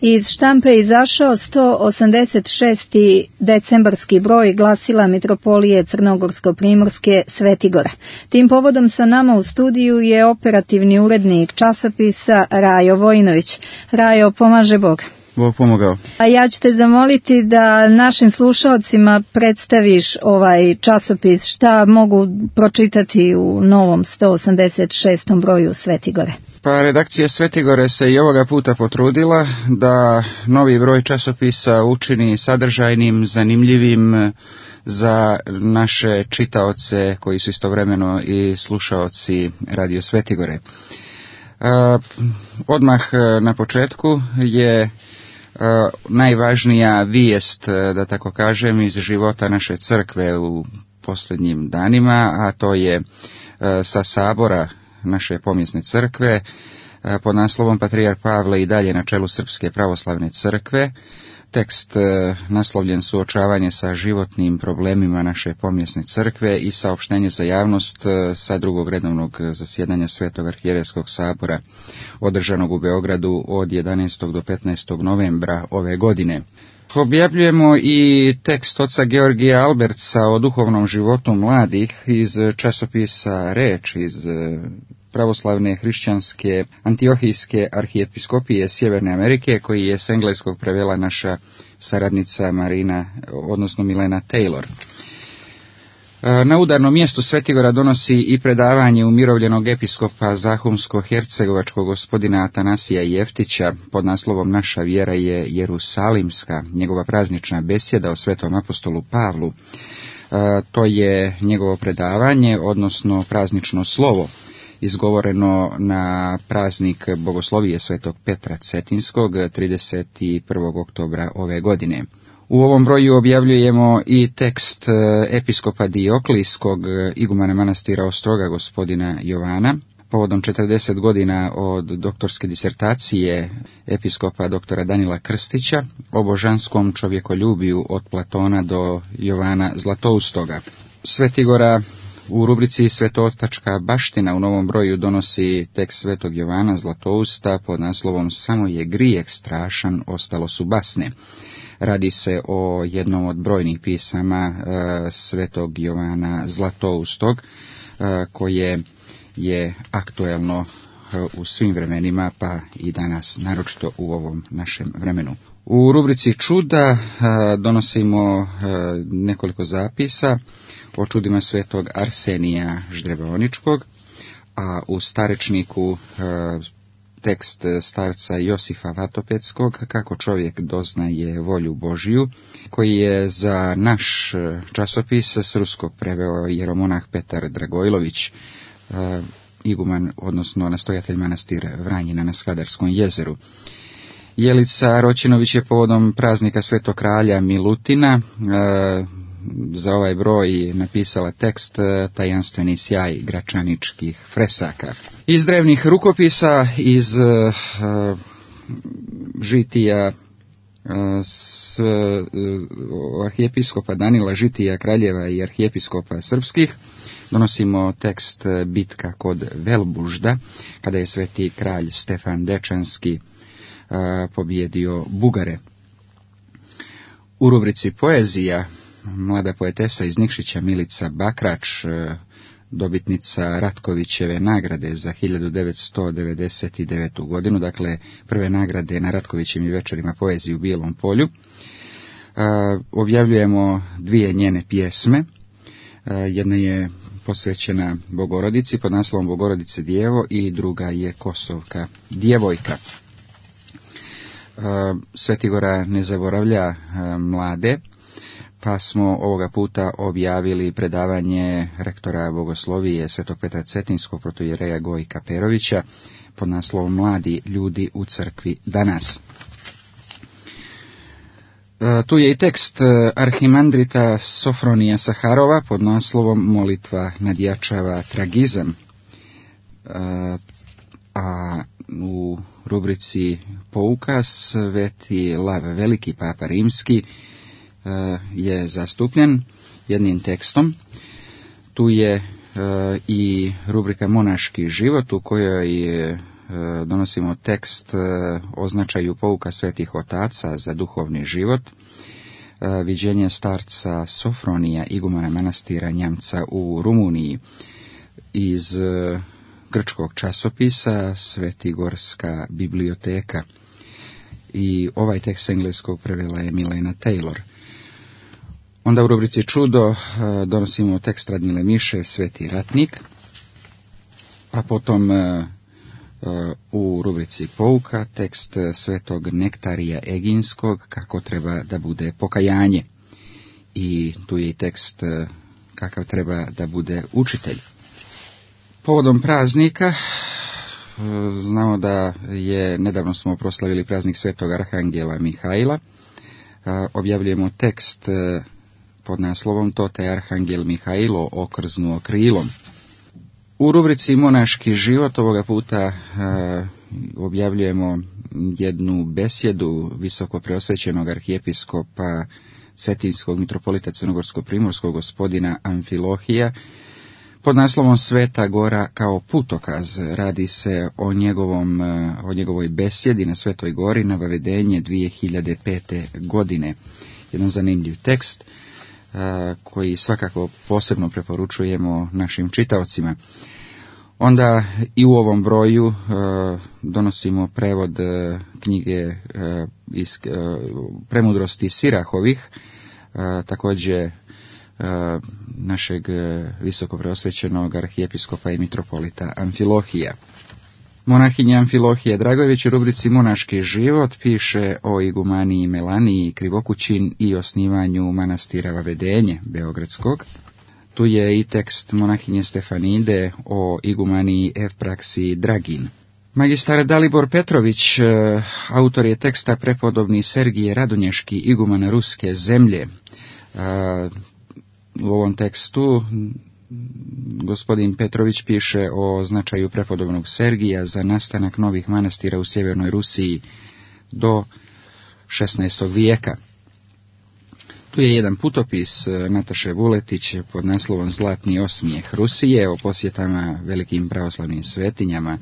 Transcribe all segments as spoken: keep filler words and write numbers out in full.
Iz štampe je izašao sto osamdeset šesti decembarski broj glasila Mitropolije Crnogorsko-primorske Svetigora. Tim povodom sa nama u studiju je operativni urednik časopisa Rajo Vojinović. Rajo, pomaže Bog. Bog pomogao. A ja ću te zamoliti da našim slušalcima predstaviš ovaj časopis, šta mogu pročitati u novom sto osamdeset šestom broju Svetigore. Pa redakcija Svetigore se i ovoga puta potrudila da novi broj časopisa učini sadržajnim, zanimljivim za naše čitaoce koji su istovremeno i slušaoci Radio Svetigore. E, odmah na početku je Uh, najvažnija vijest, da tako kažem, iz života naše crkve u posljednjim danima, a to je uh, sa sabora naše pomjesne crkve uh, pod naslovom Patrijarh Pavle i dalje na čelu Srpske pravoslavne crkve. Tekst uh, naslovljen Suočavanje sa životnim problemima naše pomjesne crkve i saopštenje za javnost uh, sa drugog redovnog zasjedanja Svetog arhijerejskog sabora održanog u Beogradu od jedanaestog do petnaestog novembra ove godine. Objavljujemo i tekst oca Georgija Albertsa o duhovnom životu mladih iz časopisa Reč iz pravoslavne hrišćanske Antiohijske arhijepiskopije Sjeverne Amerike, koji je s engleskog prevela naša saradnica Marina, odnosno Milena Taylor. Na udarnom mjestu Svetigora donosi i predavanje umirovljenog episkopa Zahumsko-hercegovačkog gospodina Atanasija Jeftića pod naslovom Naša vjera je Jerusalimska, njegova praznična besjeda o svetom apostolu Pavlu. To je njegovo predavanje, odnosno praznično slovo, izgovoreno na praznik Bogoslovije svetog Petra Cetinskog trideset prvog oktobra ove godine. U ovom broju objavljujemo i tekst episkopa Dioklijskog, igumana manastira Ostroga gospodina Jovana, povodom četrdeset godina od doktorske disertacije episkopa doktora Danila Krstića o božanskom čovjekoljubiju od Platona do Jovana Zlatoustoga. Svetigora u rubrici Svetotačka baština u novom broju donosi tekst svetog Jovana Zlatousta pod naslovom Samo je grijeh strašan, ostalo su basne. Radi se o jednom od brojnih pisama e, svetog Jovana Zlatoustog, e, koje je aktuelno e, u svim vremenima, pa i danas, naročito u ovom našem vremenu. U rubrici Čuda e, donosimo e, nekoliko zapisa o čudima svetog Arsenija Ždreboničkog, a u Starečniku e, tekst starca Josifa Vatopetskog, kako čovjek doznaje volju Božiju, koji je za naš časopis s ruskog preveo jeromonah Petar Dragojlović, iguman, odnosno nastojatelj manastir Vranjina na Skadarskom jezeru. Jelica Roćinović je povodom praznika Svetog kralja Milutina za ovaj broj napisala tekst Tajanstveni sjaj gračaničkih fresaka. Iz drevnih rukopisa, iz uh, žitija uh, s uh, arhijepiskopa Danila Žitija Kraljeva i arhijepiskopa srpskih, donosimo tekst Bitka kod Velbužda, kada je sveti kralj Stefan Dečanski uh, pobjedio Bugare. U rubrici Poezija, mlada poetesa iz Nikšića Milica Bakrač, dobitnica Ratkovićeve nagrade za hiljadu devetsto devedeset devetu godinu, dakle prve nagrade na Ratkovićevim večerima poezije u Bijelom polju. Objavljujemo dvije njene pjesme. Jedna je posvećena Bogorodici pod naslovom Bogorodice djevo i druga je Kosovka djevojka. Svetigora ne zaboravlja mlade, pa smo ovoga puta objavili predavanje rektora Bogoslovije svetog Petra Cetinskog protoijereja Gojka Perovića pod naslovom Mladi ljudi u crkvi danas. E, tu je i tekst arhimandrita Sofronija Saharova pod naslovom Molitva nadjačava tragizam, e, a u rubrici Pouka sveti Lav Veliki, papa rimski, je zastupljen jednim tekstom. Tu je e, i rubrika Monaški život, u kojoj donosimo tekst o značaju pouka svetih otaca za duhovni život, viđenje starca Sofronija, igumana manastira Njamca u Rumuniji, iz grčkog časopisa Svetigorska biblioteka. I ovaj tekst engleskog prevela je Milena Taylor. Onda u rubrici Čudo donosimo tekst Radmile Miše, Sveti ratnik, a potom u rubrici Pouka tekst svetog Nektarija Eginskog, kako treba da bude pokajanje. I tu je i tekst kakav treba da bude učitelj. Povodom praznika, znamo da je, nedavno smo proslavili praznik svetog Arhangela Mihajla. Objavljujemo tekst pod naslovom To te Arhangel Mihajlo okrznuo krilom. U rubrici Monaški život ovoga puta uh, objavljujemo jednu besjedu visoko preosvećenog arhijepiskopa cetinskog mitropolita crnogorsko-primorskog gospodina Amfilohija pod naslovom Sveta Gora kao putokaz. Radi se o, njegovom, o njegovoj besjedi na Svetoj Gori na Vavedenje dvije hiljade pete. godine. Jedan zanimljiv tekst koji svakako posebno preporučujemo našim čitaocima. Onda i u ovom broju donosimo prevod knjige iz Premudrosti Sirahovih, također našeg visoko preosvećenog arhijepiskopa i mitropolita Amfilohija. Monahinja Amfilohija Dragojević u rubrici Monaški život piše o igumaniji Melaniji Krivokućin i osnivanju manastira Vavedenje Beogradskog. Tu je i tekst monahinje Stefanide o igumaniji Evpraksiji Dragin. Magistar Dalibor Petrović, autor je teksta prepodobni Sergije Radonješki, iguman ruske zemlje. U ovom tekstu gospodin Petrović piše o značaju prepodobnog Sergija za nastanak novih manastira u sjevernoj Rusiji do šesnaestog vijeka. Tu je jedan putopis Nataše Vuletić pod naslovom Zlatni osmijeh Rusije o posjetama velikim pravoslavnim svetinjama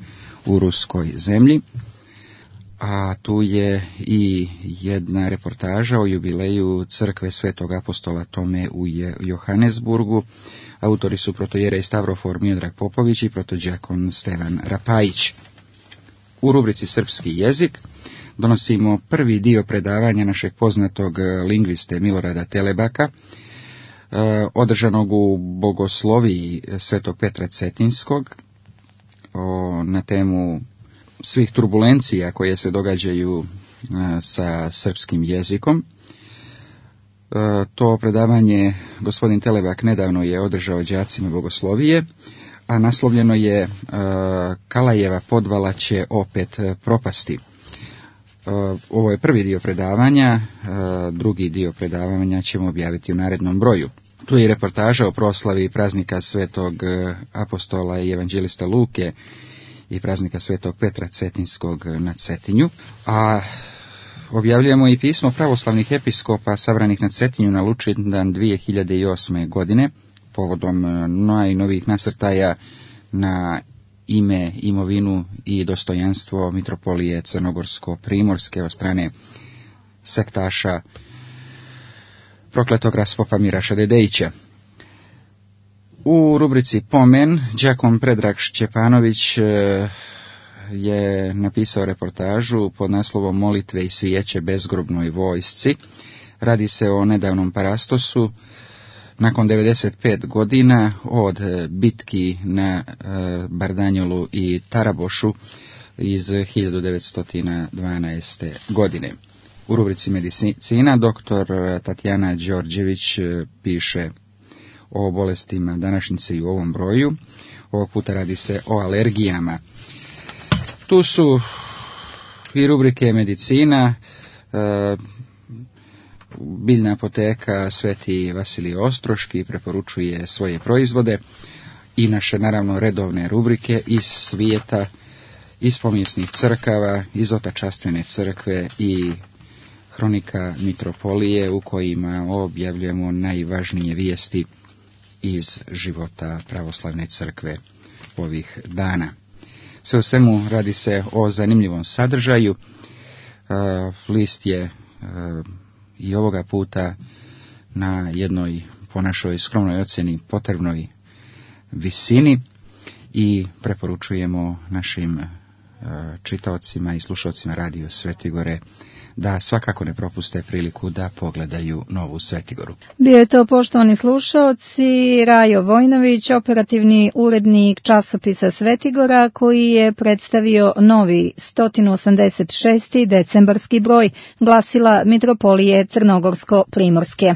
u ruskoj zemlji. A tu je i jedna reportaža o jubileju crkve Svetog apostola Tome u Johannesburgu. Autori su protojerej Stavrofor Miodrag Popović i protođakon Stevan Rapajić. U rubrici Srpski jezik donosimo prvi dio predavanja našeg poznatog lingviste Milorada Telebaka, održanog u Bogosloviji Svetog Petra Cetinskog, na temu svih turbulencija koje se događaju sa srpskim jezikom. To predavanje gospodin Telebak nedavno je održao đacima Bogoslovije, a naslovljeno je Kalajeva podvala će opet propasti. Ovo je prvi dio predavanja, drugi dio predavanja ćemo objaviti u narednom broju. Tu je reportaža o proslavi praznika Svetog apostola i evanđelista Luke i praznika Svetog Petra Cetinskog na Cetinju, a objavljujemo i pismo pravoslavnih episkopa sabranih na Cetinju na Lučindan dvije hiljade osme. godine, povodom najnovijih nasrtaja na ime, imovinu i dostojanstvo mitropolije Crnogorsko-Primorske od strane sektaša prokletog raspopa Miraša Dedejića. U rubrici Pomen, đakon Predrag Šćepanović je napisao reportažu pod naslovom Molitve i svijeće bezgrobnoj vojsci. Radi se o nedavnom parastosu nakon devedeset pet godina od bitki na Bardanjolu i Tarabošu iz hiljadu devetsto dvanaeste. godine. U rubrici Medicina doktor Tatjana Đorđević piše o bolestima današnjice i u ovom broju. Ovog puta radi se o alergijama. Tu su i rubrike Medicina, biljna apoteka Sveti Vasilij Ostroški preporučuje svoje proizvode i naše naravno redovne rubrike iz svijeta, iz povijesnih crkava, iz otačastvene crkve i hronika mitropolije u kojima objavljujemo najvažnije vijesti iz života pravoslavne crkve ovih dana. Sve u svemu radi se o zanimljivom sadržaju. List je i ovoga puta na jednoj, po našoj skromnoj ocjeni, potrebnoj visini i preporučujemo našim čitaocima i slušaocima Radio Svetigore da svakako ne propuste priliku da pogledaju Novu Svetigoru. Bio je to, poštovani slušaoci, Rajo Vojnović, operativni urednik časopisa Svetigora, koji je predstavio novi sto osamdeset šesti decembarski broj glasila Mitropolije Crnogorsko-primorske.